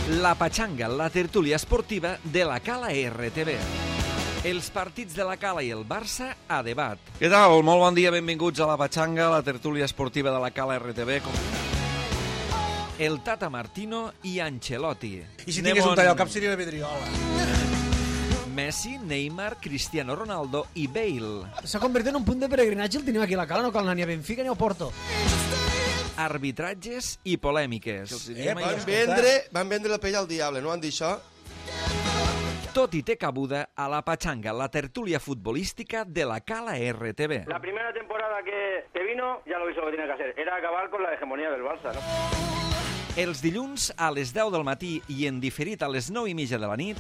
La Patxanga, la tertúlia esportiva de la Cala RTV. Els partits de la Cala i el Barça a debat. Què tal? Molt bon dia, benvinguts a la Patxanga, la tertúlia esportiva de la Cala RTV. El Tata Martino i Ancelotti. I si tingués un tall al cap seria la Vidriola. Messi, Neymar, Cristiano Ronaldo i Bale. S'ha convertit en un punt de peregrinatge, el tenim aquí a la Cala, no cal anar ni a Benfica ni a Porto. Arbitratges i polèmiques. Van vendre la pell al diable, no van dir això? Tot i té cabuda a la Patxanga, la tertúlia futbolística de la Cala RTV. La primera temporada que vino, ya lo hizo lo que tenía que hacer. Era acabar con la hegemonía del Barça, ¿no? Els dilluns a les 10 del matí i en diferit a les 9:30 de la nit,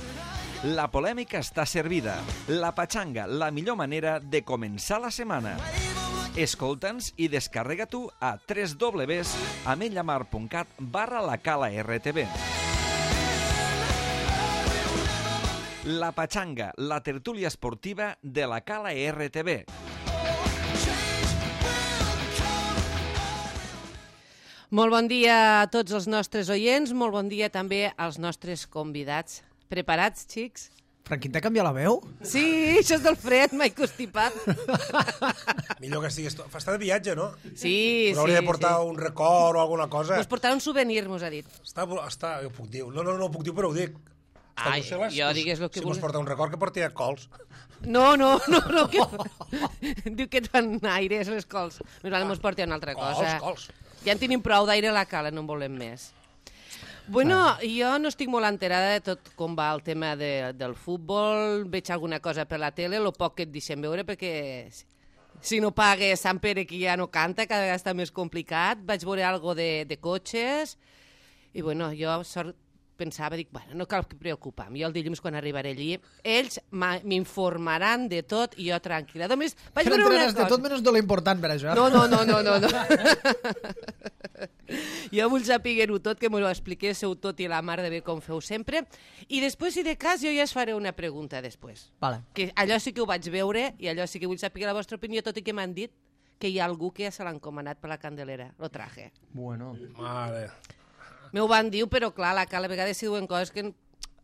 la polèmica està servida. La Patxanga, la millor manera de començar la setmana. Escolta'ns i descarrega-t'ho a www.ametlamar.cat/lacala-rtv. La Patxanga, la tertúlia esportiva de la Cala RTV. Molt bon dia a tots els nostres oients, molt bon dia també als nostres convidats. Preparats, xics? Franquín, t'ha canviat la veu? Sí, això és del fred, m'he constipat. Millor que estigués... Està de viatge, no? Sí, però hauria de portar un record o alguna cosa. Us portarà un souvenir, mos ha dit. Està, jo puc dir. No ho puc dir, però ho dic. Ai, jo digués el que si mos porta un record, que porti cols. No, que... diu que et fan aires les cols. Més val mos porti una altra cosa. Cols. Ja en tenim prou d'aire a la Cala, no en volem més. Bueno, jo no estic molt enterada de tot com va el tema del futbol, veig alguna cosa per la tele, el poc que et deixem veure, perquè si no pague Sant Pere, que ja no canta, cada vegada està més complicat. Vaig veure algo de cotxes, i bueno, jo pensava, dic, bueno, no cal preocupar-me, jo el dilluns quan arribaré allí, ells m'informaran de tot i jo tranquil·la. Només vaig veure una cosa. De tot menys de l'important per això. No. Jo vull saber-ho tot, que m'ho expliquéssiu tot i la mar de bé com feu sempre. I després, si de cas, jo ja es faré una pregunta després. Vale. Que allò sí que ho vaig veure i allò sí que vull saber la vostra opinió, tot i que m'han dit que hi ha algú que ja se l'ha encomanat per la Candelera. Lo traje. Bueno. Mare. M'ho van dir, però clar, a la vegada si diuen coses que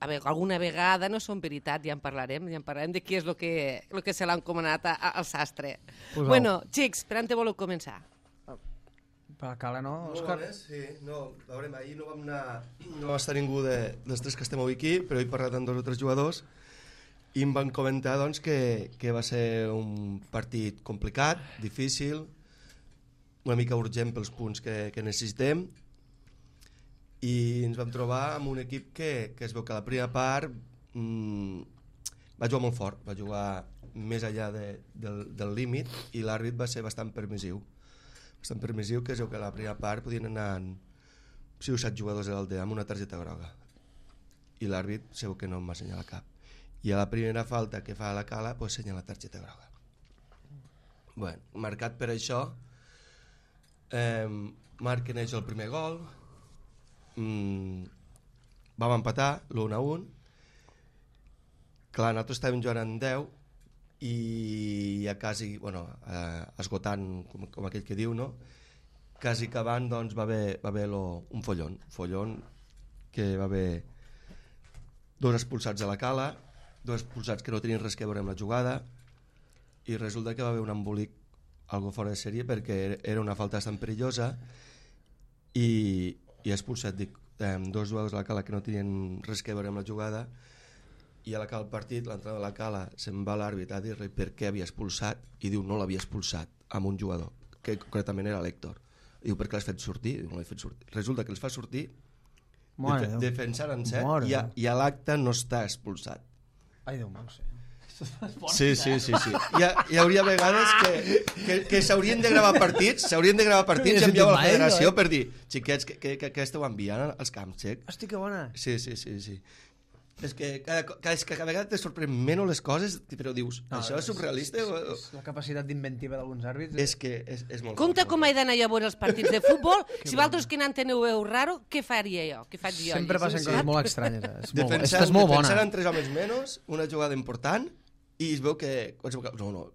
alguna vegada no són veritat, ja en parlarem de qui és el que se l'ha encomanat al sastre. Pues bueno, xics, per on te voleu començar? Per la Cala, no, Òscar? Sí, no, a veure, ahir no va estar ningú dels tres que estem avui aquí, però he parlat amb 2 o 3 jugadors i em van comentar doncs, que va ser un partit complicat, difícil, una mica urgent pels punts que necessitem, i ens vam trobar amb un equip que es veu que a la primera part va jugar molt fort, va jugar més enllà del límit, i l'àrbit va ser bastant permissiu, que es veu que a la primera part podien anar 6 o 7 jugadors de l'Aldea amb una targeta groga, i l'àrbit es veu que no em va assenyalar cap, i a la primera falta que fa a la Cala pues assenyala la targeta groga. Bueno, marcat per això, marquen ells el primer gol, vam empatar l'1-1. Clar, nosaltres estàvem jugant en 10 i ja quasi, esgotant, com aquell que diu, no? Quasi acabant, doncs, va haver un follon, que va haver 2 expulsats a la Cala, 2 expulsats que no tenien res a veure amb la jugada, i resulta que va haver un embolic algo fora de sèrie, perquè era una falta bastant perillosa, i expulsat, dic, 2 jugadors a la Cala que no tenien res a veure amb la jugada, i a l'acabar el partit, l'entrenador de la Cala se'n va a l'àrbit a dir-li per què havia expulsat, i diu, no l'havia expulsat amb un jugador, que concretament era l'Héctor. Diu, per què l'has fet sortir? Diu, no l'he fet sortir. Resulta que els fa sortir defensant en set, i a l'acte no està expulsat. Ai, Déu meu, sí. Sí. Hi hauria vegades que s'haurien de gravar partits, i enviar a la federació per dir, xiquets, que esteu enviant als camps, xic? Hosti, que bona. Sí. És que cada vegada te sorprèn menys les coses, però dius, això és surrealista? És la capacitat d'inventiva d'alguns àrbits. És que és molt... Compte com he d'anar jo a veure els partits de futbol. Si vosaltres que n'enteneu raro, què faria jo? Què faig jo? Sempre passen coses molt estranyes. Defensant en 3 homes menys, una jugada important, i es veu que... No,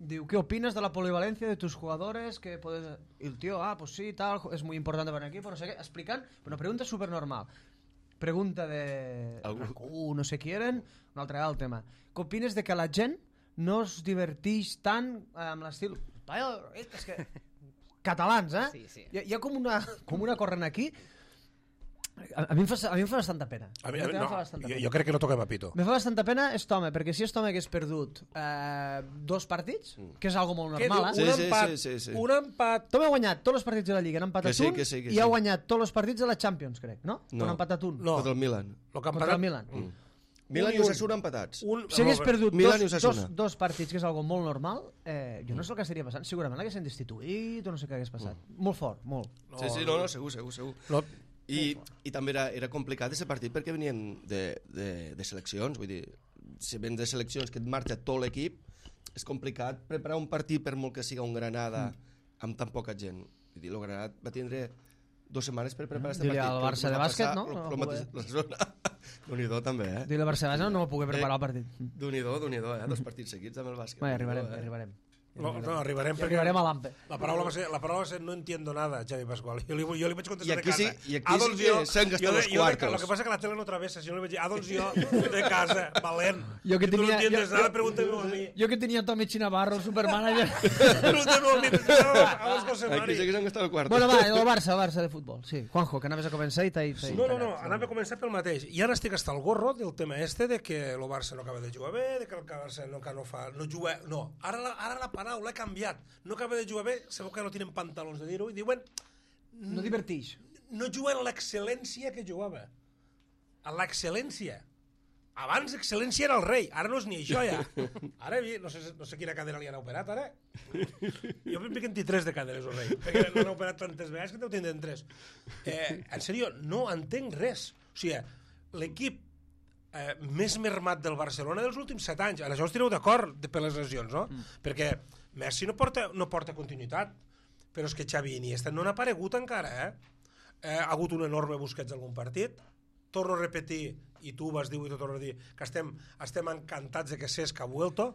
Diu, ¿qué opinas de la polivalencia de tus jugadores? Que puedes... Y el tío, pues sí, tal, es muy importante para el equipo, no sé qué. Explicant, una pregunta súper normal. Pregunta de... no sé quién, un altre el tema. Què opines de que la gent no es diverteix tant amb l'estil... És que... Catalans, Sí, sí. Hi ha com una corrent aquí... A mi em fa bastanta pena. Jo crec que no toquem a pito. Me fa bastanta pena Estome, perquè si Estome hagués perdut 2 partits, que és algo molt normal, Un empat. Tome ha guanyat tots els partits de la Lliga, han empatat un, i ha guanyat tots els partits de la Champions, crec, no? No. Han empatat un. Contra el Milan. Contra el Milan. Milan i Osasuna empatats. Si hagués perdut Milan i Osasuna. dos partits, que és algo molt normal, jo no sé el que estaria passant. Segurament l'haguessin destituït o no sé què hagués passat. Molt fort, molt. Sí, segur. I també era complicat aquest partit perquè venien de seleccions, vull dir, si ven de seleccions que et marxa tot l'equip, és complicat preparar un partit per molt que siga un Granada amb tan poca gent. Vull dir, el Granada va tindre 2 setmanes per preparar aquest partit. Dile al Barça de bàsquet, no? La zona. Déu-n'hi-do també, Dile al Barça de bàsquet, no va poder preparar el partit. Déu-n'hi-do, 2 partits seguits amb el bàsquet. Arribarem. No, arribarem perquè... Arribarem a l'AMPE. La paraula va ser no entiendo nada, Xavi Pascual. Jo li vaig contestar de casa. I aquí sí que s'han gastat els quartos. Lo que passa que la tele no travessa. Si jo li vaig dir, doncs jo de casa, valent. Jo que tu no tenia... entiendes nada, pregúntame a mi. Jo que tenia Tommy Chinavarro, el supermanager. Pregúntame a mi. Vamos, José Mari. Aquí sí que s'han gastat els quartos. Bueno, va, el Barça de futbol. Sí, Juanjo, que anaves a començar i t'he... No, anava a començar pel mateix. I ara estic hasta el gorro del tema de que el Barça no acaba de jugar bé, de que el Barça no juga... No, ara la paraula ha canviat. No acaba de jugar bé, segur que no tenen pantalons de dir-ho, i diuen... No divertix. No juguen l'excel·lència que jugava. A l'excel·lència. Abans l'excel·lència era el rei, ara no és ni això ja. Ara no sé quina cadera li han operat ara. Jo em piquen 3 de caderes el rei, perquè no han operat tantes vegades que t'ho tindran 3. En sèrio, no entenc res. O sigui, l'equip més mermat del Barcelona dels últims 7 anys. En això us tireu d'acord per les lesions, no? Perquè Messi no porta continuïtat, però és que Xavi i Iniesta no han aparegut encara, ha hagut un enorme Busquets d'algun partit. Torno a repetir, i tu vas dir i tu torno a dir, que estem encantats de que Cesc ha vuelto,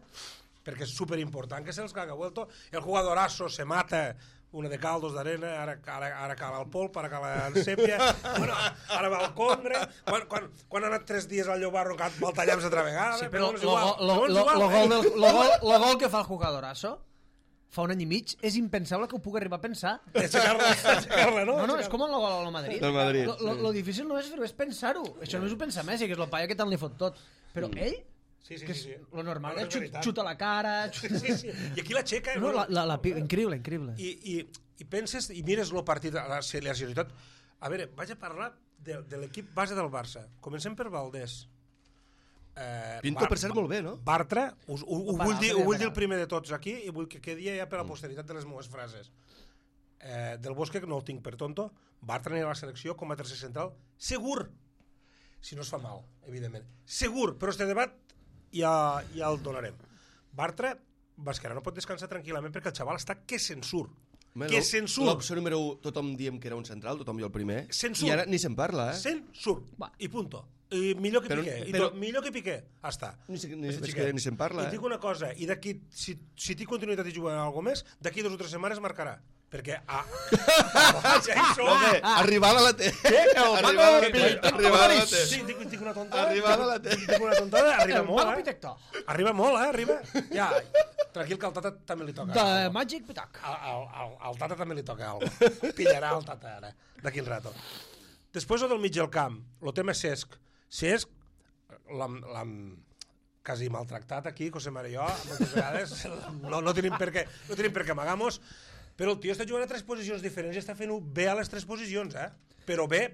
perquè és superimportant que Cesc ha vuelto. El jugadorazo se mata, una de cal, 2 d'arena, ara cala el polp, ara cala el sèpia, ara va al Condre, quan ha anat 3 dies al Llobarro va al Tallams altra vegada. Sí, però el gol que fa el jugadorazo fa un any i mig, és impensable que ho pugui arribar a pensar. Aixecar-la, no? No, és com el gol al Madrid. Del Madrid. Lo difícil no és fer-ho, és pensar-ho. Això no és ho pensa Messi, que és el paio que tant li fot tot. Però ell... Sí. Lo normal és xuta la cara... Sí. I aquí l'aixeca... No, increïble. I penses, i mires el partit, la seriositat... A veure, vaig a parlar de l'equip base del Barça. Comencem per Valdés. Pinto, per cert, molt bé, no? Bartra, ho vull dir el primer de tots aquí, i vull que quedi ja per la posteritat de les meves frases. Del Bosque, no el tinc per tonto, Bartra anirà a la selecció com a tercer central, segur, si no es fa mal, evidentment. Segur, però este debat ja el donarem. Bartra, Basquera no pot descansar tranquil·lament perquè el xaval està que se'n surt. L'opció número 1, tothom diem que era un central, tothom jo el primer, i ara ni se'n parla, Se'n surt, i punto. I millor que Piqué, millor que Piqué, hasta. Ni se'n parla, I dic una cosa, i d'aquí, si té continuïtat i juga alguna més, d'aquí 2 o 3 setmanes marcarà. Perquè arribada la té. Arribada la té. Sí, dic una tontada. Arribada la té. Dic una tontada, arriba molt, Arriba molt, arriba. Ja, tranquil, que al Tata també li toca. De Magic Pitac. Al Tata també li toca alguna. Pillarà el Tata ara, d'aquí el rato. Després del mig del camp, el tema Cesc. Cesc, l'hem quasi maltractat aquí, José María i jo, moltes vegades. No tenim per què amagar-nos. Però el tio està jugant a 3 posicions diferents i està fent-ho bé a les 3 posicions, Però bé.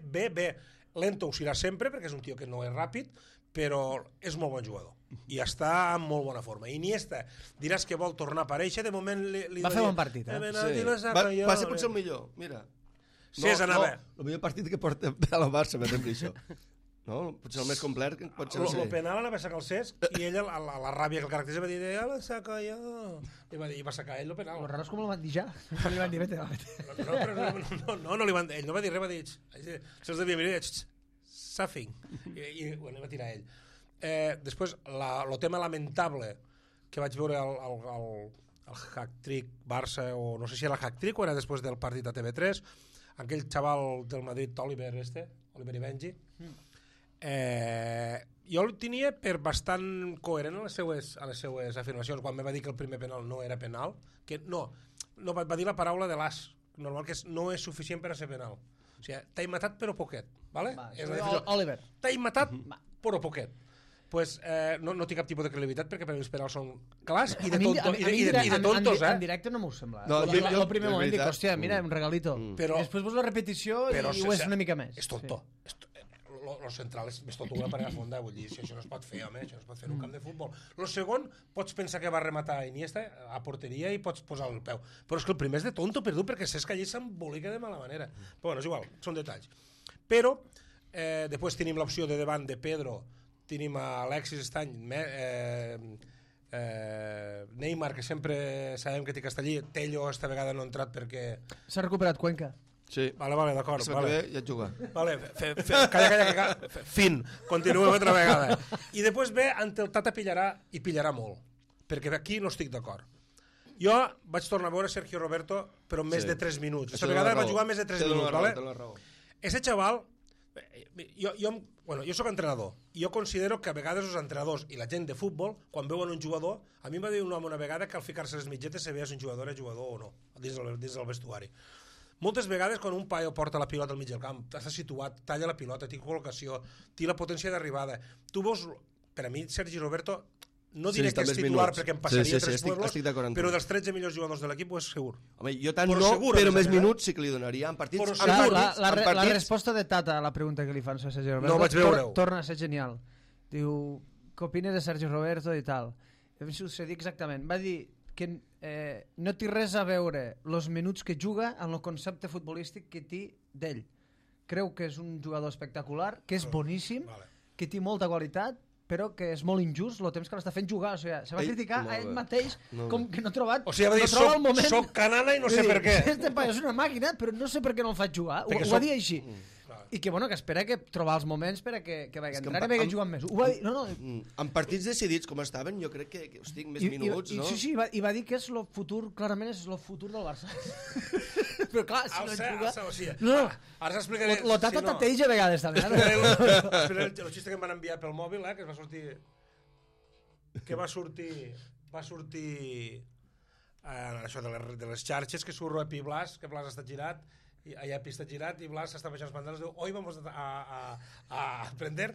Lento ho serà sempre, perquè és un tio que no és ràpid, però és molt bon jugador. I està en molt bona forma. Iniesta, diràs que vol tornar a aparèixer, de moment va fer bon partit, Va ser potser el millor, mira. El millor partit que porta a la Barça, m'ha això. No? Potser el més complet pot ser... El penal anava a sacar el Cesc i ell, la ràbia que el caracteritza, va dir, ja la saco jo. I va sacar ell el penal. Lo raro és com el van dir ja. No li van dir, vete. No li van dir, ell no va dir res, va dir, se'ls devia mirar, Safing. I va tirar ell. Després, el tema lamentable que vaig veure el hack-trick Barça, o no sé si era el hack-trick o era després del partit a TV3, aquell xaval del Madrid, Oliver i Benji, jo el tenia per bastant coherent a les seues afirmacions, quan me va dir que el primer penal no era penal, que no va dir la paraula de l'as, normal que no és suficient per a ser penal. O sigui, t'he matat però poquet, ¿vale? Oliver. T'he matat però poquet. Pues no té cap tipus de credibilitat perquè per a mi els penals són clars i de tontos, En directe no m'ho sembla. El primer moment dic, hòstia, mira, un regalito. Després veus la repetició i ho és una mica més. És tonto. Lo central és més tonto que una parella fonda, vull dir, això no es pot fer, home, això no es pot fer en un camp de futbol. Lo segon, pots pensar que va rematar Iniesta a porteria i pots posar el peu. Però és que el primer és de tonto perdut perquè saps que allí s'embolica de mala manera. Però bueno, és igual, són detalls. Però, després tenim l'opció de davant de Pedro, tenim Alexis Estany, Neymar, que sempre sabem que té Castellí, Tello esta vegada no ha entrat perquè... S'ha recuperat Cuenca. Sí. Vale, d'acord. Vale. Ja et juga. Vale, calla. Fin, continuem altra vegada. I després ve ante el Tata pillarà molt, perquè aquí no estic d'acord. Jo vaig tornar a veure Sergio Roberto, però més de 3 minuts. Aquesta vegada va jugar més de 3 minuts, vale? Ese xaval, jo soc entrenador, i jo considero que a vegades els entrenadors i la gent de futbol, quan veuen un jugador, a mi em va dir un home una vegada que al ficar-se les mitgetes sabia si un jugador era jugador o no, dins del vestuari. Moltes vegades quan un paio porta la pilota al mig del camp, està situat, talla la pilota, té col·locació, té la potència d'arribada. Tu veus, per a mi, Sergi Roberto, no diré que és titular perquè em passaria 3 pueblos, però dels 13 millors jugadors de l'equip ho és segur. Home, jo tant no, però més minuts sí que li donaria en partits. La resposta de Tata a la pregunta que li fan a Sergi Roberto no vaig veure-ho. Torna a ser genial. Diu, què opines de Sergi Roberto i tal? Em succedir exactament. Va dir que no té res a veure els minuts que juga en el concepte futbolístic que té d'ell. Creu que és un jugador espectacular, que és boníssim, que té molta qualitat, però que és molt injust el temps que l'està fent jugar. O sigui, se va criticar a ell mateix com que no ha trobat... O sigui, va dir, soc canana i no sé per què. Este paio és una màquina, però no sé per què no el faig jugar. Ho va dir així. I que, bueno, que espera que trobar els moments per a que vagi entrar i vagi jugant més. Ho va dir, no. En partits decidits com estaven, jo crec que hosti, més minuts, no? Sí, i va dir que és el futur, clarament és el futur del Barça. Però clar, si no juga... No, ara s'explicaré... Lo Tata tateix a vegades, també. Espera el xiste que em van enviar pel mòbil, que es va sortir... Que va sortir... això de les xarxes, que surt Epi Blas, que Blas està girat, i allà està girat i Blas està baixant els pantalons i diu, hoy vamos a aprender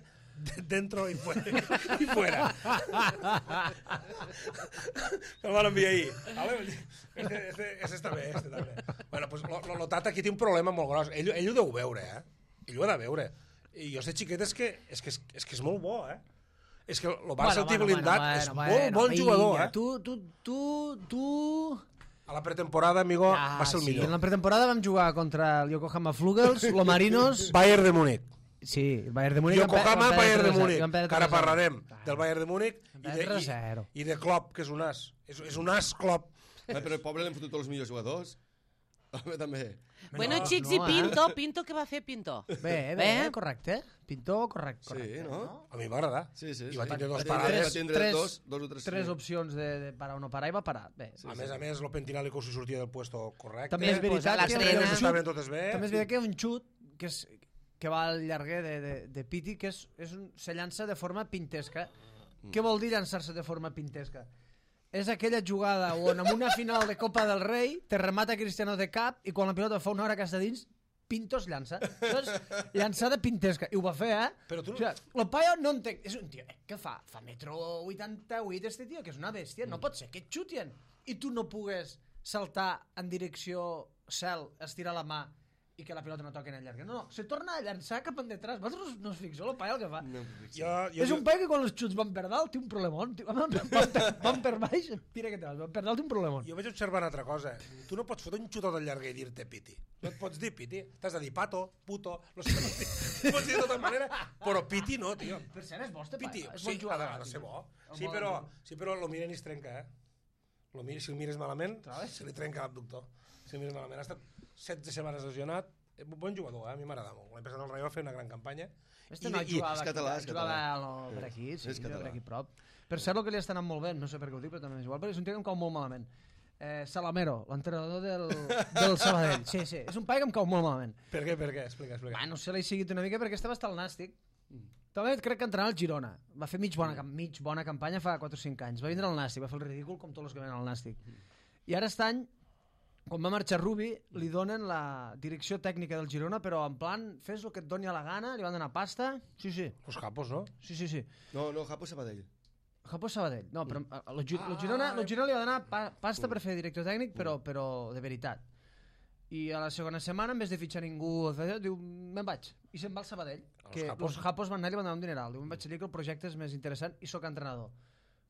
dentro y fuera. Me'l van enviar ahir. Este està bé, este també. Bueno, pues lo Tata aquí té un problema molt gros. Ell ho deu veure, Ell ho ha de veure. I jo sé xiquet és que és molt bo, És que el Barça el té blindat, és molt bon jugador, Tu... A la pretemporada, amigo, va ser el millor. En la pretemporada vam jugar contra el Yokohama Flugels, los Marinos... Bayern de Múnich. Sí, el Bayern de Múnich... Yokohama, Bayern de Múnich. Que ara parlarem del Bayern de Múnich i de Klopp, que és un as. És un as, Klopp. Però el pobre l'hem fotut tots els millors jugadors. També. Bueno, xics, i Pinto, què va fer Pinto? Bé, correcte. Pinto, correcte. Sí, no? A mi m'agrada. Sí. I va tindre dos parades. Dos o tres. Tres opcions de parar o no parar i va parar. Bé. A més, el Pentinalico s'hi sortia del puesto correcte. També és veritat que hi ha un xut que va al llarguer de Piti, que se llança de forma pintesca. Què vol dir llançar-se de forma pintesca? És aquella jugada on en una final de Copa del Rei te remata Cristiano de cap i quan la pilota fa una hora que està dins Pinto es llança. Això és llançada pintesca. I ho va fer, Però tu... O sigui, el paio no entenc... És un tio, què fa? Fa 1,88 m este tio, que és una bèstia. No pot ser que et xutien i tu no pugues saltar en direcció cel, estirar la mà i que la pilota no toqui en el llarg. No, se torna a llançar cap endetrás. Vosaltres no us fixeu el paio el que fa? No, és un paio que quan els xuts van per dalt té un problemón. Van per baix, tira que te vas. Van per dalt té un problemón. Jo vaig observar una altra cosa. Tu no pots fotre un xutot al llarg i dir-te piti. No et pots dir piti. T'has de dir pato, puto... No sé, pots dir de tota manera, però piti no, tio. Per cert, és bo este paio. Piti, sí, ha de ser bo. Sí, però lo miren i es trenca, Si el mires malament, se li trenca l'abductor. Si el mires malament, ha estat 16 setmanes lesionat, bon jugador, a mi m'agrada molt. L'any passat el Rayo va fer una gran campanya. Este no jugava per aquí, sí, per aquí prop. Per cert, el que li està anant molt bé, no sé per què ho dic, però també és igual, perquè és un tio que em cau molt malament. Salamero, l'entrenador del Sabadell. Sí, és un paio que em cau molt malament. Per què? Explica. No sé, l'he seguit una mica perquè estava estar al Nàstic. També crec que entrenava al Girona. Va fer mig bona campanya fa 4 o 5 anys. Va vindre al Nàstic, va fer el ridícul com tots els que venen al Nàstic. I ara aquest any, quan va marxar Rubi, li donen la direcció tècnica del Girona, però en plan, fes el que et doni a la gana, li van donar pasta. Sí. Los Japos, no? Sí. No, Japo Sabadell. Japo Sabadell. No, però el Girona li va donar pasta per fer director tècnic, però de veritat. I a la segona setmana, en vez de fitxar ningú, diu, me'n vaig. I se'n va al Sabadell. Els Japos van anar i li van donar un dineral. Diu, me'n vaig dir que el projecte és més interessant i sóc entrenador.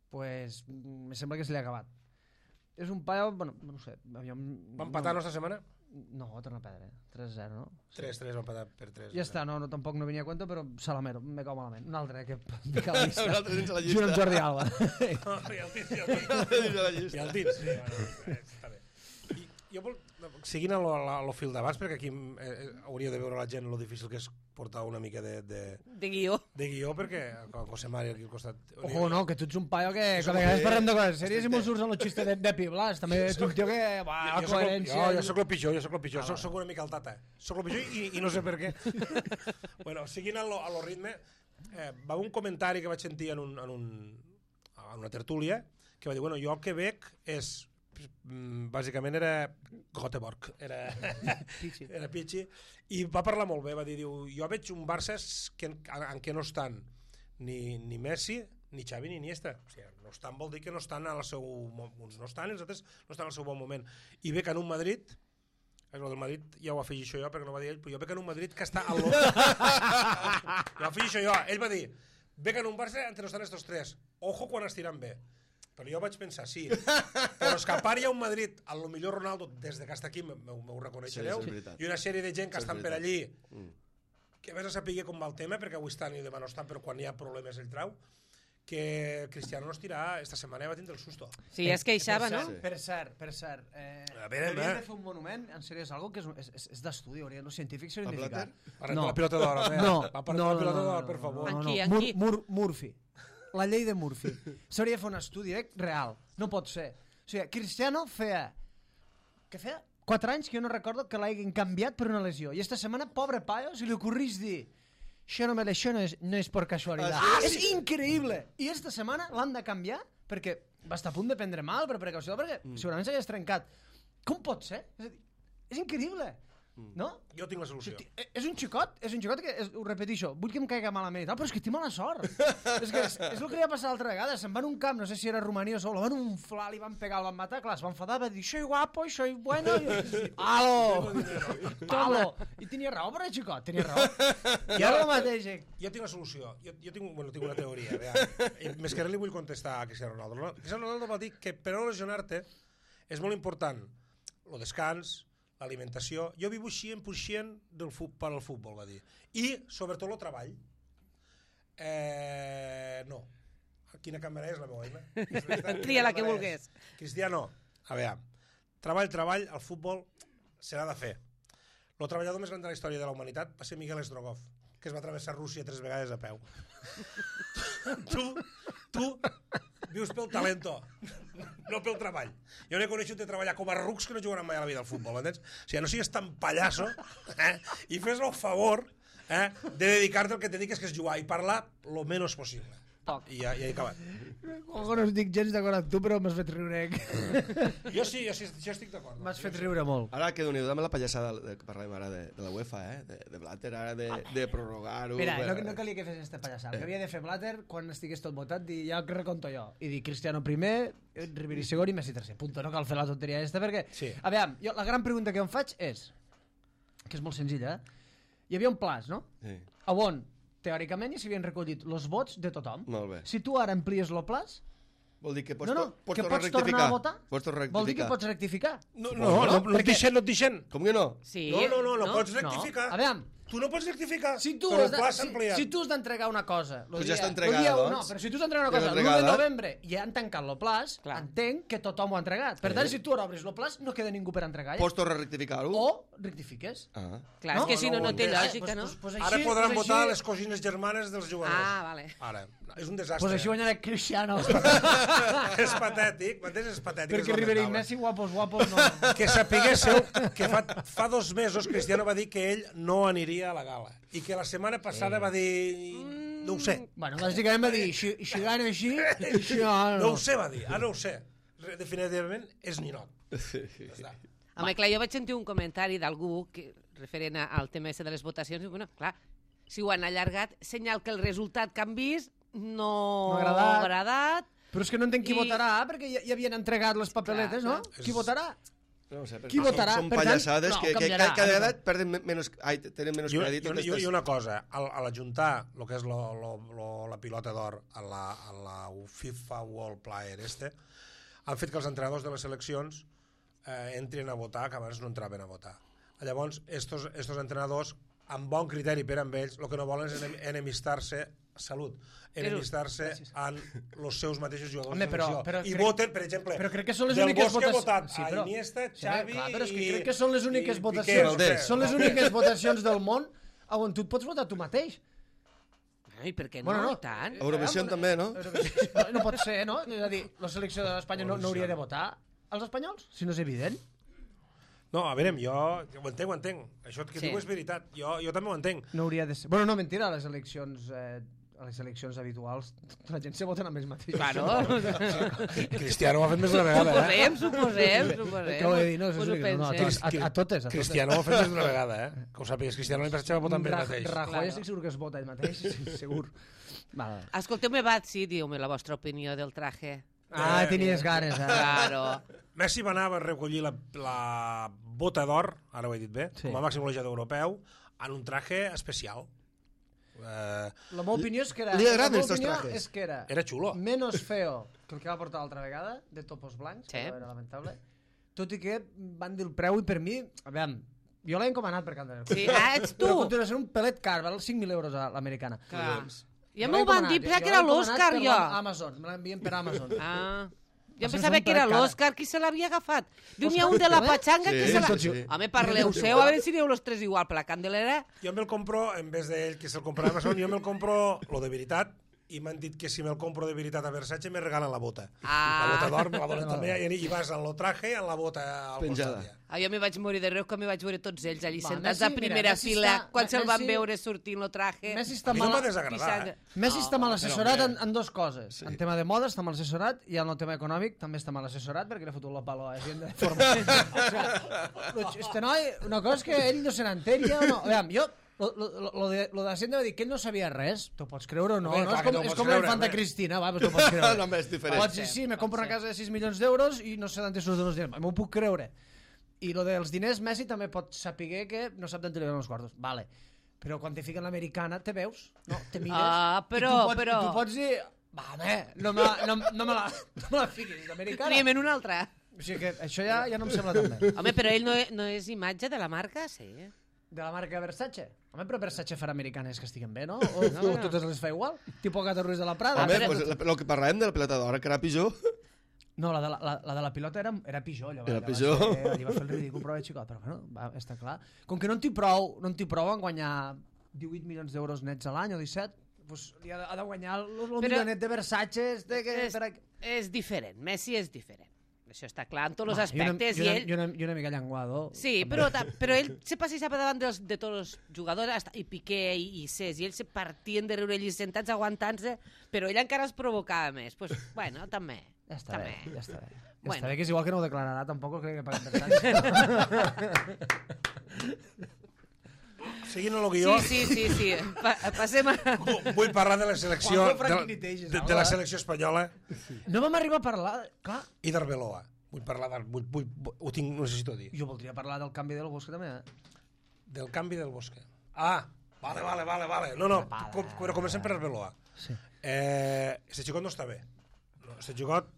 Pues, me sembla que se li ha acabat. És un paio, bueno, no sé. Va empatar la nostra setmana? No, torna a perdre. 3-0, no? 3-3, va empatar per 3. Ja està, no, tampoc no venia a compte, però Salamero, me cau malament. Un altre que pica la llista. Un altre dins la llista. Junt amb Jordi Alba. I el Tits. Sí, bueno, està bé. Jo seguint el fil d'abans, perquè aquí hauria de veure la gent lo difícil que és portar una mica de guió. De guió, perquè con José Mario aquí al costat... Ojo, no, que tu ets un paio que cada vegada parlem de coses sèries i mos surts en el xiste de Piblas. També ets un tio que... la coherència... Jo soc el pitjor. Soc una mica el tata. Soc el pitjor i no sé per què. Bueno, seguint a lo ritme, va haver un comentari que vaig sentir en una tertúlia que va dir, bueno, jo el que veig és... bàsicament era Göteborg, era Pichi, i va parlar molt bé, va dir, jo veig un Barça en què no estan ni Messi, ni Xavi, ni Iniesta. O sigui, no estan vol dir que no estan al seu... Uns no estan, els altres no estan al seu bon moment. I veig en un Madrid, el del Madrid ja ho afegeixo jo perquè no va dir ell, però jo veig en un Madrid que està al lo... Ho afegeixo jo, ell va dir, veig en un Barça entre no estan estos tres, ojo quan estiran bé. Però jo vaig pensar, sí, però és que a part hi ha un Madrid, a lo millor Ronaldo, des que està aquí, m'ho reconeixereu, i una sèrie de gent que estan per allí, que vés a saber com va el tema, perquè avui estan i demà no estan, però quan hi ha problemes ell trau, que Cristiano no estirà, esta setmana va tindre el susto. Sí, es queixava, no? Per cert. Hauríem de fer un monument, en sèrio, és algo que és d'estudi, els científics s'ho identificar. La pilota d'or, la pilota d'or, per favor. Aquí. Murphy. La llei de Murphy. S'hauria de fer un estudi real. No pot ser. O sigui, Cristiano feia 4 anys que jo no recordo que l'hagin canviat per una lesió. I esta setmana, pobre paio, se li ocorrís dir això no és per casualitat. És increïble! I esta setmana l'han de canviar perquè va estar a punt de prendre mal per precaució, perquè segurament s'hagués trencat. Com pot ser? És increïble! No? Jo tinc la solució. És un xicot que, ho repeteixo, vull que em caiga malament i tal, però és que té mala sort. és el que li va passar l'altra vegada, se'n va en un camp, no sé si era Romania o Sol, van unflar, li van pegar, el van matar, clar, es va enfadar, va dir, soy guapo, soy bueno, ¡Alo! I tenia raó per el xicot, tenia raó. I ara el mateix. Jo tinc la solució, jo tinc una teoria, més que res li vull contestar a Cristiano Ronaldo. Cristiano Ronaldo va dir que per no lesionar-te és molt important el descans, l'alimentació. Jo vivo 100% per al futbol, va dir. I, sobretot, el treball. No. Quina càmera és la meva eina? Tria la que vulgués. Cristiano, a veure, treball, el futbol s'ha de fer. El treballador més gran de la història de la humanitat va ser Miguel Strogoff, que es va travessar Rússia 3 vegades a peu. Tu vius pel talento, no pel treball. Jo n'he coneixut de treballar com a rucs que no jugaran mai a la vida al futbol, entens? O sigui, no sigues tan pallasso i fes el favor de dedicar-te al que te dediques, que és jugar i parlar lo menys possible. I ja he acabat. No estic gens d'acord amb tu, però m'has fet riure. Jo sí estic d'acord. M'has fet riure molt. Ara que Déu-n'hi-do amb la pallassada que parlàvem ara de la UEFA, de Blatter, ara de prorrogar-ho... Mira, no calia que fes esta pallassada. El que havia de fer Blatter, quan estigués tot votat, dir ja que reconto jo. I dir Cristiano primer, Ribéry segon i Messi tercer. Punto, no cal fer la tonteria aquesta, perquè... A veure, la gran pregunta que em faig és, que és molt senzilla, hi havia un plaç, no? Sí. On, teòricament, ja s'havien recollit els vots de tothom. Molt bé. Si tu ara amplies el plaç... Vol dir que pots que tornar a pots tornar a votar? Pots tornar a rectificar. Vol dir que pots rectificar? No et deixen. Com que no? Sí. No pots rectificar. A veure, Tu no pots rectificar, Si tu però has el pla s'ha ampliat. si tu has d'entregar una cosa... Pues ja està entregada, doncs. No, però si tu has d'entregar una Ja cosa l'ha l'1 de entregada. novembre i ja han tancat el plaç, Clar. entenc que tothom ho ha entregat. Per tant, si tu ara obris el plaç, no queda ningú per entregar. Pots tornar a rectificar-ho? O rectifiques. Ah. Clar, No? és que si no, no té No, lògica, no? Ara podran votar les cosines germanes dels jugadors. Ah, vale. Ara. És un desastre. Pues així guanyarà Cristiano. És patètic, m'entens? És patètic. Perquè és Ribéry i lamentable. Messi, guapos, no. Que sapiguéssiu que fa 2 mesos Cristiano va dir que ell no aniria a la gala i que la setmana passada va dir... No ho sé. Bueno, bàsicament va dir, si gana així, No ho sé, va dir. Ara no ho sé. Definitivament és ninot. Ja està. Home, clar, jo vaig sentir un comentari d'algú referent al tema de les votacions, i bueno, clar, si ho han allargat, senyal que el resultat que han vist no No ha ha agradat. Però és que no entenc qui I- votarà, perquè ja havien entregat les papeletes, Clar, no? Qui votarà? No ho sé, perquè Qui votarà? Són Per tant, pallassades no, que canviarà. cada vegada tenen menys crèdit. I una cosa, a l'ajuntar el que és la pilota d'or a la FIFA World Player han fet que els entrenadors de les seleccions entrin a votar, que abans no entraven a votar. Llavors, estos entrenadors, amb bon criteri per amb ells, el que no volen és enemistar-se enemistar-se amb els seus mateixos jugadors Home, de selecció. però I crec- voten, per exemple, però crec que són les Del úniques Bosque ha votacions- votat Sí, a però- Iniesta, Sí, Xavi clar, però és que i- crec que són les úniques i votacions, Piqué, són les úniques votacions del món on tu et pots votar tu mateix. Ai, per què no? Bueno, no. I tant. Eurovisió també, no? No pot ser, no? És a dir, la selecció d'Espanya no hauria de votar als espanyols, si no és evident. No, a veure, jo ho entenc. Això que Sí. diu és veritat. Jo també ho entenc. No hauria de ser... Bueno, no, mentira, a les eleccions habituals la gent se vota amb ells mateixos. Claro. Cristiano ho ha fet més d'una vegada, Suposem. Acabo de dir, no, Us ho no, penseu. a totes. Cristiano ho ha fet més d'una vegada, Que ho sàpigues, Cristiano l'any passat va votar amb ell mateix. Rajoy Claro. estic segur que es vota ell mateix, sí, segur. Vale. Escolteu-me, sí, diu-me la vostra opinió del traje. Tenies ganes, Claro. Messi va anar a recollir la bota d'or, ara ho he dit bé, Sí. com a màxim golejador europeu, en un traje especial. La meva opinió és que era... Li agraden la meva estos opinió trajes. és que Era xulo. menos feo que el que va portar l'altra vegada, de topos blancs, Sí. que era lamentable, tot i que van dir el preu i per mi, a veure, jo l'he encomanat per Candelera. Sí, ets tu. Però continua sent un pelet car, val 5.000 euros a l'americana. Clar. Ja Jo m'ho l'he van encomanat, dir, pensava jo que era l'he encomanat l'Òscar, per jo. Amazon, me l'envien per Amazon. Ah. Jo Això pensava és un que era pelet cara. l'Òscar qui se l'havia agafat. Diu, n'hi ha un de la Patxanga que Sí, se l'ha... tots sí. Home, parleu seu, a veure si dieu los tres igual, per la Candelera. Jo me'l compro, en vez d'ell que se'l compra a Amazon, jo me'l compro lo de veritat, i m'han dit que si me'l compro de veritat a Versace me regalen la bota. Ah. La bota d'or me la donen també, i vas en lo traje i en la bota al Penjada. costat. Ah, jo me vaig morir de riure quan me vaig veure tots ells allí Va, sentats Messi, a primera mira, Messi fila, està- quan se'l van Messi- veure sortint lo traje. Messi està A mi no m'ha mal... desagradar, Messi està mal assessorat però, en dues coses. En tema de moda està mal assessorat i en el tema econòmic també està mal assessorat perquè li ha fotut la palo a Hacienda de forma... este noi, una cosa és que ell no se n'entén ja o no. Aviam, jo, lo de Hacienda va dir que ell no sabia res. T'ho pots creure o no? Bé, No? clar És que com, t'ho és pots com la creure, infanta bé. Cristina, va, però t'ho pots creure. No, és diferent. Pots dir, sí, me compro una casa de 6 milions d'euros i no sé d'on te surten els diners. M'ho puc creure. I lo dels diners, Messi també pot saber que no sap d'on te li donen els quartos. Vale. Però quan te fiquen l'americana, te veus, no? Te mires. Ah, però- I tu pots dir... Va, home, no me la fiquis, l'americana. Triem en una altra. O sigui que això ja no em sembla tan bé. Home, però ell no és imatge de la marca? Sí. De la marca Versace. Home, però Versace farà americanes que estiguen bé, no? O totes les fa igual? Tipo Gata Ruiz de la Prada. Home, però- pues, el que parlàvem de la pilota d'or, que era pitjor. No, la de la pilota era pitjor. Allò, Era allò pitjor. Allí va fer el ridícul, però era xicot. Però bueno, està clar. Com que no en té prou en guanyar 18 milions d'euros nets a l'any o 17, doncs li ha de guanyar el milionet de Versace. És diferent, Messi és diferent. Això està clar en tots els aspectes. I una mica llenguado. Sí, però ell se passejava davant de tots els jugadors, i Piqué i Cés, i ells se partien de riure allí sentats aguantant-se, però ell encara es provocava més. Pues, bueno, també. Ja està bé, ja està bé. Ja Bueno. està bé, que és igual que no ho declararà, tampoc crec que paguen Versace. Seguint el guió, Sí. Passem a... vull parlar de la selecció, Juanjo Franquiniteges, de la selecció espanyola No vam arribar a parlar... Clar, i d'Arbeloa. Vull parlar ho necessito dir. jo voldria parlar del canvi del Bosque també, Del canvi del Bosque. Ah, vale. No, però comencem per Arbeloa. Sí. Este xicot no està bé. Este xicot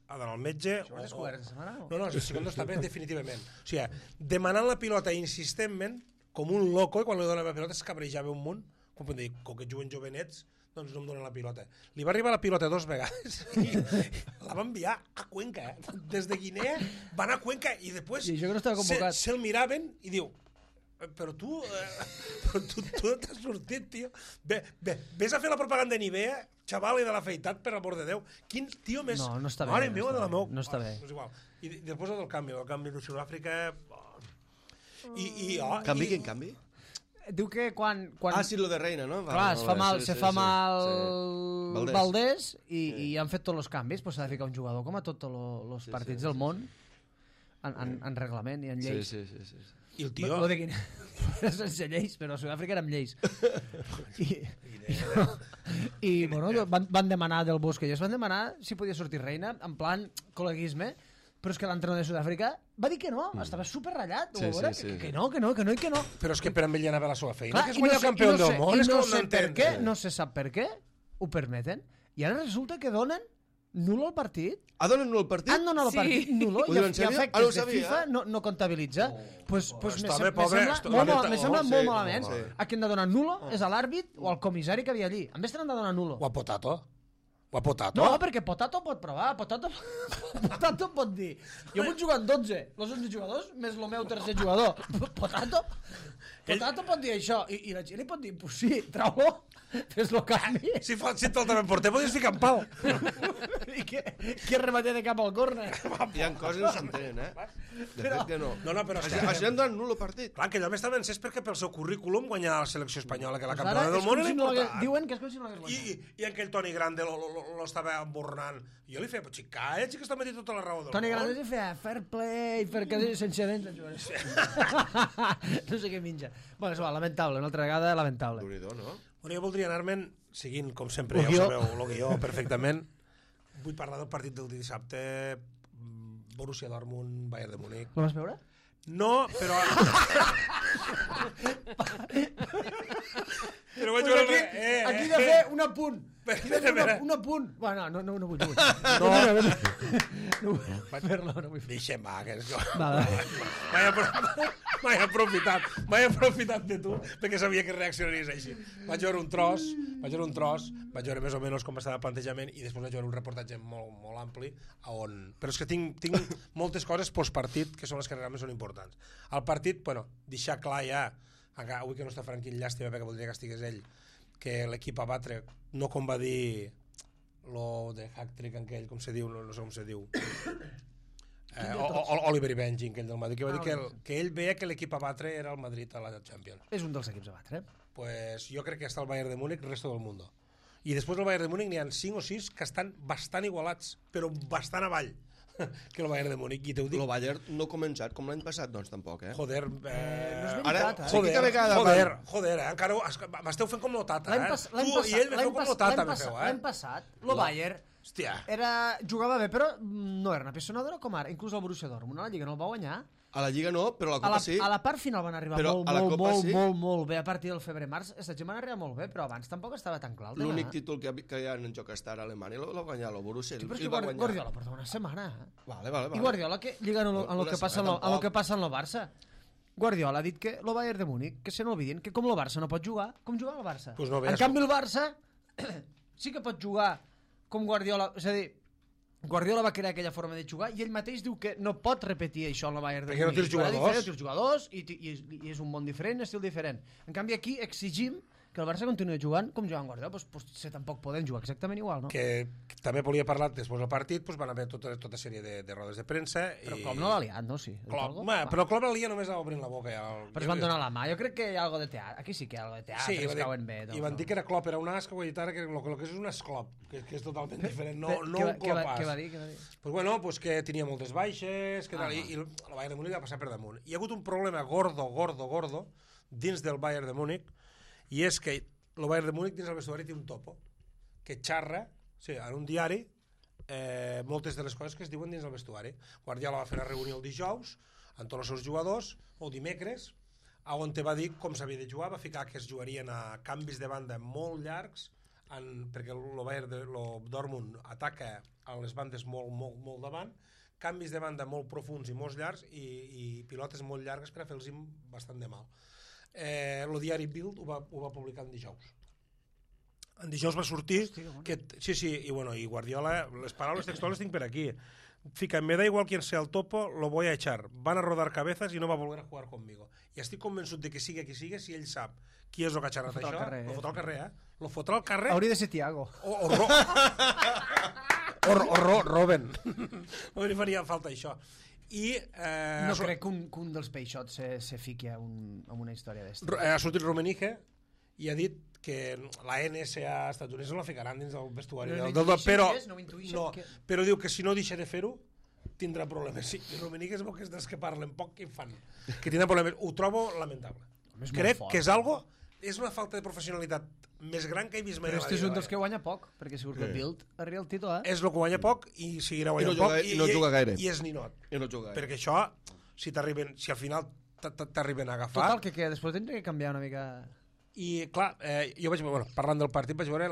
ha d'anar al metge... Ho has descobert aquesta setmana? No, este xicot no està bé definitivament. O sigui, demanant la pilota insistentment com un loco, i quan li dona la pilota es cabrejava un munt, com dir, com que juguen jovenets, doncs no em donen la pilota. Li va arribar la pilota 2 vegades i la va enviar a Cuenca. Des de Guinea va anar a Cuenca i després I això que no estava convocat. se'l miraven i diu, però tu t'has sortit, tio. Ves a fer la propaganda de Nivea, xaval, i de l'afeitat, per amor de Déu. Quin tio més... No està bé. Mare meva de la meu. No està bé. És igual. I després el canvi de Sud-àfrica... Quin canvi? Diu que quan... Sí, lo de Reina, no? Clar, se fa mal Valdés i han fet tots els canvis, doncs s'ha de ficar un jugador com a tots els partits del món en reglament i en lleis. Sí. I el tio... Lo de Guinea sense lleis, però a Sud-àfrica era amb lleis. I bueno, van demanar del Bosque, ells van demanar si podia sortir Reina, en plan col·leguisme, però és que l'entrenador de Sud-àfrica va dir que no, estava superratllat, que no. Però és que per amb ell anava la seva feina, Clar, que és guanyar campió del món, és que no se sap per què, ho permeten, i ara resulta que donen nulo al partit. Donen nulo al partit? Han donat el partit nulo i efectes de FIFA no comptabilitza. Pues me sembla molt malament. A qui han de donar nulo és a l'àrbit o al comissari que havia allí. En vez t'han de donar nulo. O a Potato. No, perquè Potato pot provar. Potato pot dir jo vull jugar amb 12, els 11 jugadors més el meu tercer jugador. Potato pot dir això i la gent li pot dir, pues sí, trau-lo, fes-lo canvi. Si te'l també porter, podies ficar en pal. I que rematé de cap al córner. Hi ha coses que no s'entenen, De fet que no. No, però això hem donat nulo partit. Clar, que allò m'estava encès perquè pel seu currículum guanyar la selecció espanyola, que la campiona del món era important. Diuen que és com si no l'hagués guanyat. I aquell Toni Grande lo estava embornant. Jo li feia, però xica, que està metint tota la raó del món. Toni Grande li feia fair play, sense dents. No sé què minja. Bueno, és lamentable, una altra vegada lamentable. Déu-n'hi-do, no? Bueno, jo voldria anar-me'n, seguint, com sempre, ja ho sabeu, el guió perfectament. Vull parlar del partit del dissabte, Borussia Dortmund, Bayern de Múnich. Lo vas veure? No, però... Però vaig veure... Aquí he de fer un apunt. Un apunt. Bueno, no vull. No vull fer-lo, no vull fer-lo. Deixa'm, va, que és... Va. M'he aprofitat de tu perquè sabia que reaccionaries així. Vaig veure un tros, vaig veure més o menys com estava el plantejament i després vaig veure un reportatge molt ampli on... Però és que tinc moltes coses postpartit que són les que realment són importants. El partit, bueno, deixar clar ja, avui que no està Franquín, llàstima perquè voldria que estigués ell, que l'equip a batre, no com va dir lo de hack-trick aquell, com se diu, no sé com se diu. Oliver Benjing, aquell del Madrid, que va dir que ell veia que l'equip a batre era el Madrid a la Champions. És un dels equips a batre. Pues jo crec que està el Bayern de Múnich, el resto del mundo. I després del Bayern de Múnich n'hi ha 5 o 6 que estan bastant igualats, però bastant avall que el Bayern de Múnich. I el Bayern no ha començat com l'any passat, doncs tampoc, Joder, no és veritat, joder, encara m'esteu fent com l'Otata, Tu i ell me feu com l'Otata, me feu, L'any passat, el Bayern jugava bé, però no era una pissonadora com ara. Inclús el Borussia Dortmund, a la Lliga no el va guanyar. A la Lliga no, però a la Copa sí. A la part final van arribar molt bé. A partir del febrer-març, aquesta gent van arribar molt bé, però abans tampoc estava tan clar. L'únic títol que hi ha en joc estar a Alemanya l'ha guanyat el Borussia. Però és que Guardiola porta una setmana. Vale. I Guardiola, que lligant en el que passa en el Barça, Guardiola ha dit que el Bayern de Múnich, que se n'olvidin, que com el Barça no pot jugar, com juga el Barça. En canvi el Barça sí que pot jugar com Guardiola, és a dir, Guardiola va crear aquella forma de jugar i ell mateix diu que no pot repetir això en el Bayern de Múnich. Perquè no té els jugadors i és un món diferent, un estil diferent. En canvi aquí exigim que el Barça continuï jugant com jugant Guardiola, doncs tampoc poden jugar exactament igual, no? Que també volia parlar després del partit, doncs van haver tota sèrie de rodes de premsa. Però Klopp no l'ha liat, no? Sí. Però Klopp la lia només obrint la boca. Però es van donar la mà. Jo crec que hi ha algo de teatre. Aquí sí que hi ha algo de teatre, es cauen bé. I van dir que era Klopp, era un as, que ho he dit ara, que el que és un esclop, que és totalment diferent, no un clopàs. Què va dir? Pues bueno, pues que tenia moltes baixes, i el Bayern de Múnich va passar per damunt. Hi ha hagut un problema gordo dins del Bayern de Múnich, i és que el Bayern de Múnich dins el vestuari té un topo que xarra, en un diari, moltes de les coses que es diuen dins el vestuari. Guardiola va fer una reunió el dijous amb tots els seus jugadors, o dimecres, on te va dir com s'havia de jugar, va ficar que es jugarien a canvis de banda molt llargs, perquè el Bayern de Dortmund ataca a les bandes molt davant, canvis de banda molt profuns i molt llargs i pilotes molt llargues per a fer-los bastant de mal. el diari Bild ho va publicar en dijous. En dijous va sortir i Guardiola, les paraules textuals tinc per aquí. Fica, me da igual quién sea el topo, lo voy a echar. Van a rodar cabezas y no va a volver a jugar conmigo. I estic convençut de que sigui qui sigui, si ell sap qui és el que ha xerrat això, lo fotrà al carrer, Lo fotrà al carrer. Hauria de ser Thiago. O Robben. No li faria falta això. No crec que un dels peixots se fiqui en una història d'esta. Ha sortit Rummenigge i ha dit que la NSA estadounidense no la ficaran dins del vestuari. Però diu que si no deixa de fer-ho tindrà problemes. Sí, i Rummenigge es veu que és dels que parlen poc i fan. Que tindrà problemes. Ho trobo lamentable. Crec que és una falta de professionalitat més gran que he vist mai. Però este és un dels que guanya poc, perquè segur que el Bild arriba al títol, És el que guanya poc i seguirà guanyant poc. I no juga gaire. I és ninot. I no juga gaire. Perquè això, si al final t'arriben a agafar... Total, que després tindré que canviar una mica... I clar, jo vaig veure, parlant del partit, vaig veure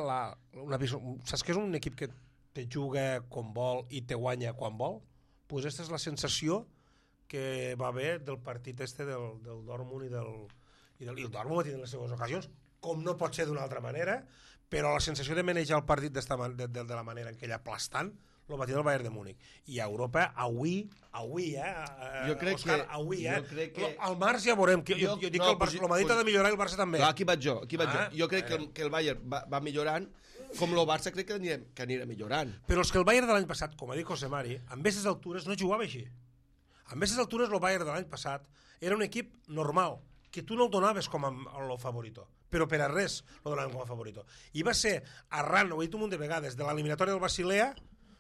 saps que és un equip que te juga com vol i te guanya quan vol? Doncs aquesta és la sensació que va haver del partit del Dortmund i el Dortmund va tenir les seves ocasions, com no pot ser d'una altra manera, però la sensació de manejar el partit de la manera en què ella aplastant el va tenir el Bayern de Múnich. I a Europa, avui, jo crec Òscar, que... Al març ja veurem. Jo dic que el Madrid ha de millorar i el Barça també. Aquí vaig jo. Jo crec que el Bayern va millorant, com el Barça crec que anirà millorant. Però és que el Bayern de l'any passat, com ha dit José Mari, amb aquestes altures no jugava així. Amb aquestes altures el Bayern de l'any passat era un equip normal, que tu no el donaves com a favorito, però per a res el donaven com a favorito. I va ser arran, ho he dit un munt de vegades, de l'eliminatòria del Basilea,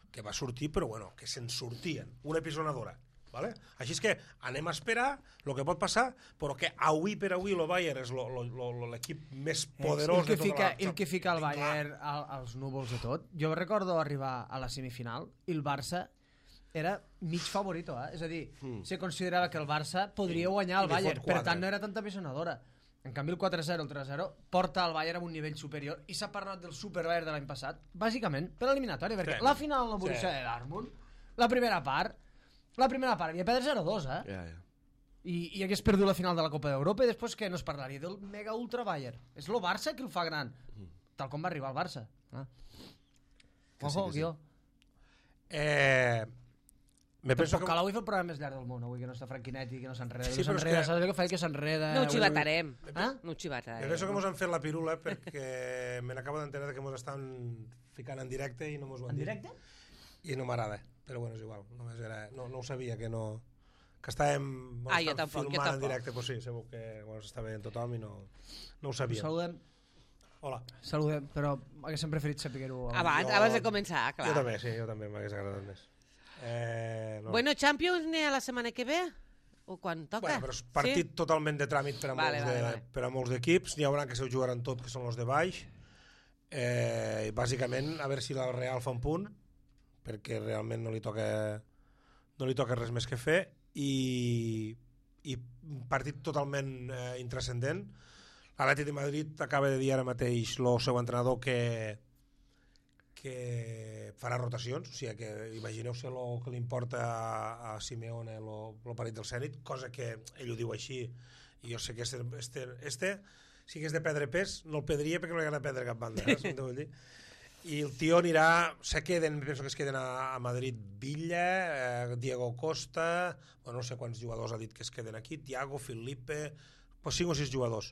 que va sortir, però bueno, que se'n sortien, una episonadora. ¿Vale? Així és que anem a esperar el que pot passar, però que avui per avui el Bayern és l'equip més poderós de tota la... El que fica el Bayern als núvols de tot. Jo recordo arribar a la semifinal i el Barça era mig favorito, és a dir, se considerava que el Barça podria guanyar el Bayern, per tant no era tanta episonadora. En canvi el 4-0, el 3-0 porta el Bayern a un nivell superior i s'ha parlat del Super Bayern de l'any passat, bàsicament per l'eliminatòria, perquè la final del Borussia de Dortmund, la primera part havia perdut 0-2, i hagués perdut la final de la Copa d'Europa i després que no es parlaria del mega ultra Bayern. És el Barça que el fa gran, tal com va arribar al Barça. Ojo, guió. Tampoc cal avui fer el programa més llarg del món, avui que no està Franquinetti, que no s'enreda. Sí, saps el que fa? Que s'enreda... No ho xivatarem. No ho xivatarem. Jo penso que mos han fet la pirula perquè me n'acabo d'enterar que mos estan ficant en directe i no mos ho han dit. En directe? I no m'agrada, però bueno, és igual. Només era... No ho sabia, que estàvem filmant en directe, però sí, segur que s'està veient tothom i no ho sabíem. Saludem. Hola. Saludem, però haguéssim preferit saber-ho abans de començar, clar. Jo també m'hagués agradat més. Bueno, Champions n'hi ha la setmana que ve? O quan toca? Bueno, però és partit totalment de tràmit per a molts d'equips. N'hi haurà que se ho jugaran tot, que són els de baix. Bàsicament, a veure si la Real fa un punt, perquè realment no li toca res més que fer, i partit totalment intrascendent. L'Atlètic de Madrid acaba de dir ara mateix el seu entrenador que farà rotacions, o sigui que imagineu-se el que li importa a Simeone el partit del Zenit, cosa que ell ho diu així, i jo sé que si hagués de perdre pes no el perdria perquè no li agrada perdre cap banda, vull dir. I el tio anirà, penso que es queden a Madrid Villa, Diego Costa, no sé quants jugadors ha dit que es queden aquí, Thiago, Felipe, 5 o 6 jugadors,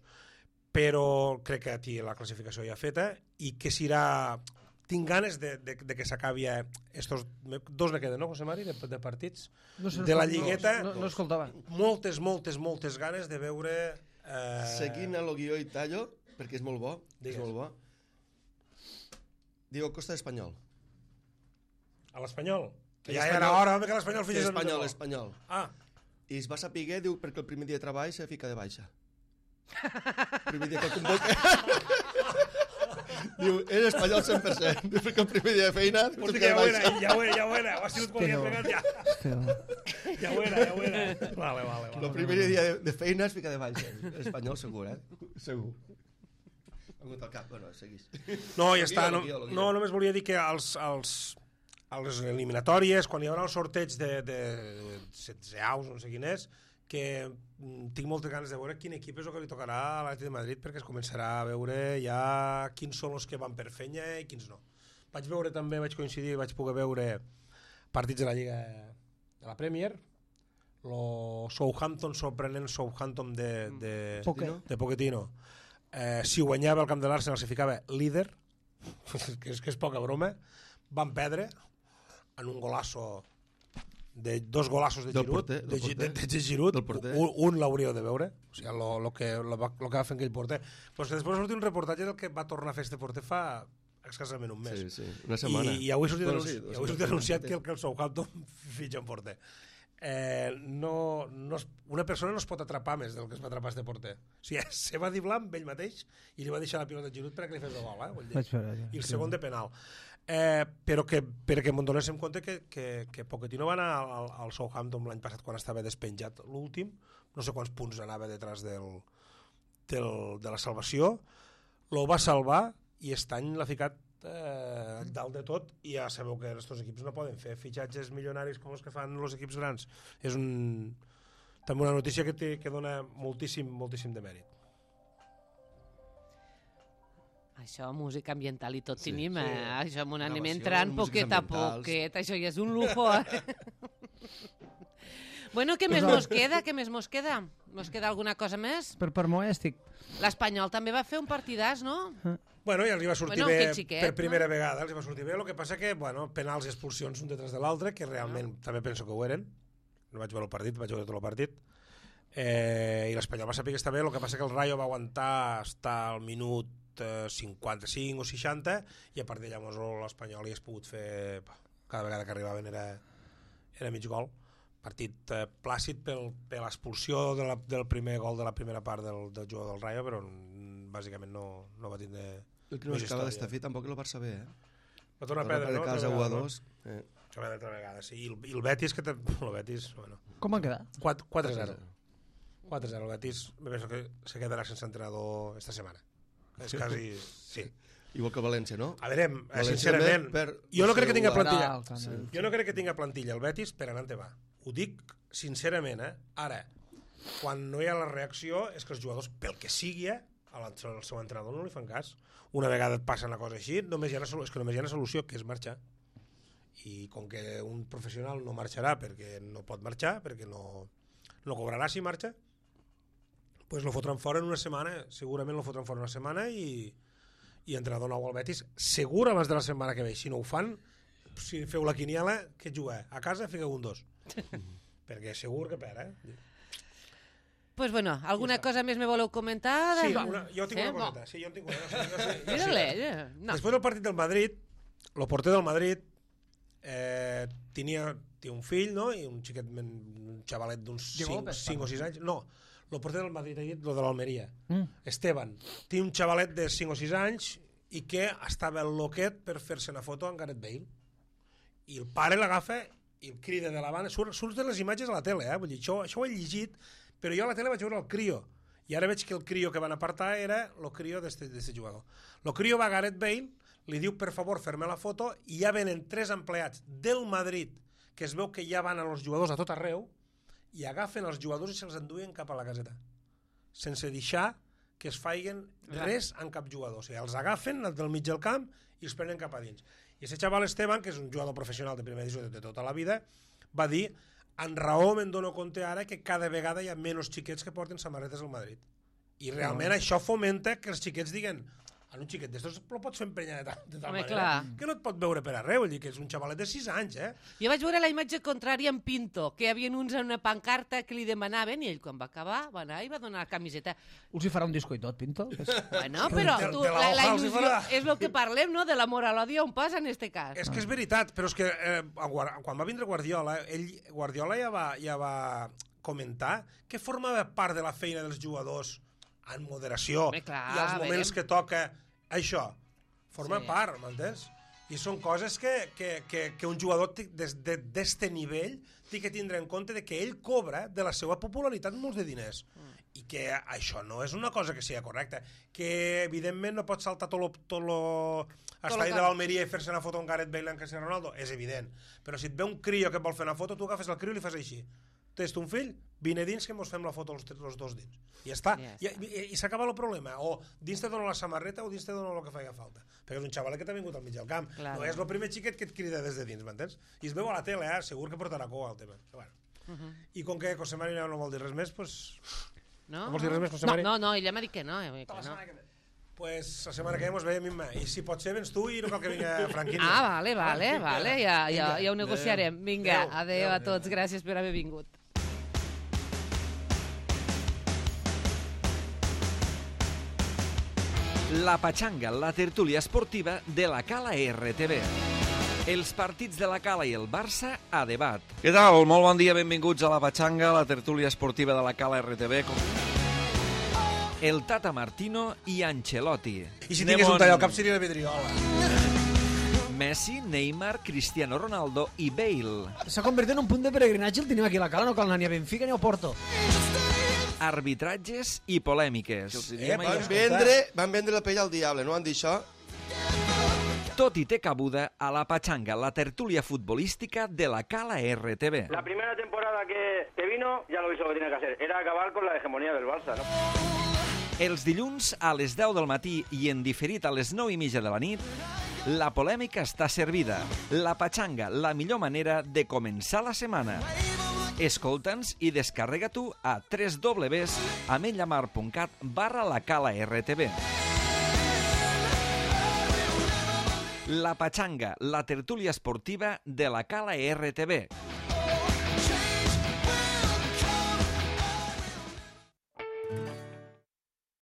però crec que aquí la classificació ja feta i que serà... Tinc ganes de que s'acabi estos 2 me queden, no, José Mari, de partits de la Lligueta. No escoltava. Moltes ganes de veure... Seguint el guió i tallo, perquè és molt bo. És molt bo. Diego Costa d'Espanyol. A l'Espanyol? Ja era hora que l'Espanyol fes... Espanyol. I es va saber, diu, perquè el primer dia de treball se fica de baixa. Primer dia que el convoca... Diu, és espanyol 100%. Diu, perquè el primer dia de feina... Hòstia, ja ho era. Ho ha sigut com havia pegat ja. Ja ho era. Vale. El primer dia de feina es fica de baixa. Espanyol segur, Segur. Algun tal cap, bueno, seguís. No, ja està. No, només volia dir que a les eliminatòries, quan hi haurà el sorteig de 16 aus, no sé quin és, que tinc moltes ganes de veure quin equip és el que li tocarà a l'Atlètic de Madrid, perquè es començarà a veure ja quins són els que van per fenya i quins no. Vaig veure també, vaig coincidir, vaig poder veure partits de la Lliga de la Premier, el Southampton, sorprenent Southampton de Pochettino. Si guanyava el camp de l'Arsenal se ficava líder, que és poca broma. Van perdre en un golasso de dos golazos de Giroud, de Giroud, un l'hauríeu de veure, o sigui, el que va fer aquell porter. Però que després va sortir un reportatge del que va tornar a fer este porter fa escassament un mes. Sí, una setmana. I avui ha sortit anunciat que el Southampton fitxa un porter. Una persona no es pot atrapar més del que es va atrapar este porter. O sigui, se va dir blanc ell mateix i li va deixar la pilota de Giroud perquè li fes el gol, i el segon de penal. Però perquè me'n donéssim compte que Pochettino va anar al Southampton l'any passat quan estava despenjat l'últim, no sé quants punts anava detrás de la salvació, lo va salvar i aquest any l'ha ficat dalt de tot, i ja sabeu que aquests equips no poden fer fitxatges milionaris com els que fan els equips grans. És també una notícia que dona moltíssim de mèrit. Això, música ambiental i tot tenim, això m'ho anem entrant poquet a poquet, això ja és un lujo. Bueno, què més mos queda? Mos queda alguna cosa més? Per mo ja estic. L'Espanyol també va fer un partidàs, no? Bueno, i els hi va sortir bé per primera vegada, els hi va sortir bé, el que passa que, penals i expulsions un detrás de l'altre, que realment també penso que ho eren, no vaig veure el partit, vaig veure tot el partit, i l'Espanyol va saber que està bé, el que passa que el Rayo va aguantar estar al minut 55 o 60 i a part d'allà l'Espanyol hi has pogut fer, cada vegada que arribaven era mig gol. Partit plàcid per l'expulsió del primer gol de la primera part del jugador del Rayo, però bàsicament no va tindre el que no acaba d'estar fi tampoc el Barça bé, va tornar a perdre, no? Casa 1-2 això va d'altra vegada, sí. I el Betis, bueno. Com va quedar? 4-0 el Betis, me penso que se quedarà sense entrenador esta setmana. És quasi... sí. Igual que València, no? A veure, sincerament, jo no crec que tinga plantilla. Jo no crec que tinga plantilla el Betis per anar on va. Ho dic sincerament, Ara, quan no hi ha la reacció, és que els jugadors, pel que sigui, al seu entrenador no li fan cas. Una vegada et passa una cosa així, només hi ha una solució, que és marxar. I com que un professional no marxarà perquè no pot marxar, perquè no cobrarà si marxa, doncs lo fotran fora en una setmana, segurament lo fotran fora una setmana i entrenador nou al Betis, segur abans de la setmana que ve. Si no ho fan, si feu la quiniela, que juga a casa, fiqueu un 2. Perquè segur que perd, Pues bueno, alguna cosa més me voleu comentar? Sí, jo tinc una coseta. Sí, jo en tinc una. No. Després del partit del Madrid, el porter del Madrid té un fill, no? I un xiquet, un xavalet d'uns 5 o 6 anys. No, el porter del Madrid ha dit el de l'Almeria. Esteban. Té un xavalet de 5 o 6 anys i que estava el loquet per fer-se una foto amb Gareth Bale. I el pare l'agafa i el crida de la banda. Surten les imatges a la tele, vull dir, això ho he llegit, però jo a la tele vaig veure el crio. I ara veig que el crio que van apartar era el crio d'este jugador. El crio va a Gareth Bale, li diu, per favor, fer-me la foto, i ja venen 3 empleats del Madrid, que es veu que ja van a los jugadors a tot arreu, i agafen els jugadors i se'ls enduen cap a la caseta, sense deixar que es faiguen res en cap jugador. O sigui, els agafen del mig del camp i els prenen cap a dins. I aquest xaval Esteban, que és un jugador professional de primera edició de tota la vida, va dir, en raó me'n dono compte ara que cada vegada hi ha menys xiquets que porten samarretes al Madrid. I realment això fomenta que els xiquets diguen, un xiquet d'estos lo pots fer emprenyar de tal manera que no et pot veure per arreu, vull dir que és un xavalet de 6 anys, Jo vaig veure la imatge contrària en Pinto, que hi havia uns en una pancarta que li demanaven i ell quan va acabar va anar i va donar la camiseta. Us hi farà un disco i tot, Pinto? Bueno, però la il·lusió és el que parlem, no?, de l'amor a l'odi on passa en este cas. És que és veritat, però és que quan va vindre Guardiola, Guardiola ja va comentar que formava part de la feina dels jugadors en moderació i als moments que toca això, forma part, m'entens? I són coses que un jugador d'este nivell té que tindre en compte de que ell cobra de la seva popularitat molts de diners i que això no és una cosa que sigui correcta, que evidentment no pot saltar tot l'estadi de l'Almeria i fer-se una foto amb Gareth Bale en Cristiano Ronaldo, és evident, però si et ve un crio que et vol fer una foto, tu agafes el crio i li fas així, tens un fill, vine dins que mos fem la foto els dos dins. I ja està. I s'acaba el problema. O dins te dona la samarreta o dins te dona el que faci falta. Perquè és un xaval que t'ha vingut al mig del camp. Claro. No és el primer xiquet que et crida des de dins, m'entens? I es veu a la tele, segur que portarà cua al tema. Bueno. I com que José Mari no vol dir res més, doncs... No vols dir res més, José Mari? No, ella m'ha dit que no. Pues la setmana que ve mos veiem, Imma. I si pot ser, vens tu i no cal que vingui Franquinho. Vale. Ja ho negociarem. Vinga, adeu a tots. Gràcies per haver vingut. La Pachanga, la tertúlia esportiva de la Cala RTV. Els partits de la Cala i el Barça a debat. Què tal? Molt bon dia, benvinguts a la Pachanga, la tertúlia esportiva de la Cala RTV. El Tata Martino i Ancelotti. I si tingués un tall al cap seria la vidriola. Messi, Neymar, Cristiano Ronaldo i Bale. S'ha convertit en un punt de peregrinatge el tenim aquí a la Cala, no cal anar ni a Benfica ni a Porto. Arbitratges i polèmiques. Van vendre la pell al diable, no van dir això? Tot i té cabuda a la Pachanga, la tertúlia futbolística de la Cala RTV. La primera temporada que vino, ya lo hizo lo que tenía que hacer, era acabar con la hegemonía del Barça, ¿no? Els dilluns a les 10 del matí i en diferit a les 9:30 de la nit, la polèmica està servida. La Pachanga, la millor manera de començar la setmana. Escolta'ns i descarrega-t'ho a www.amenyamar.cat/lacala-rtv. La Pachanga, la tertúlia esportiva de la Cala RTV.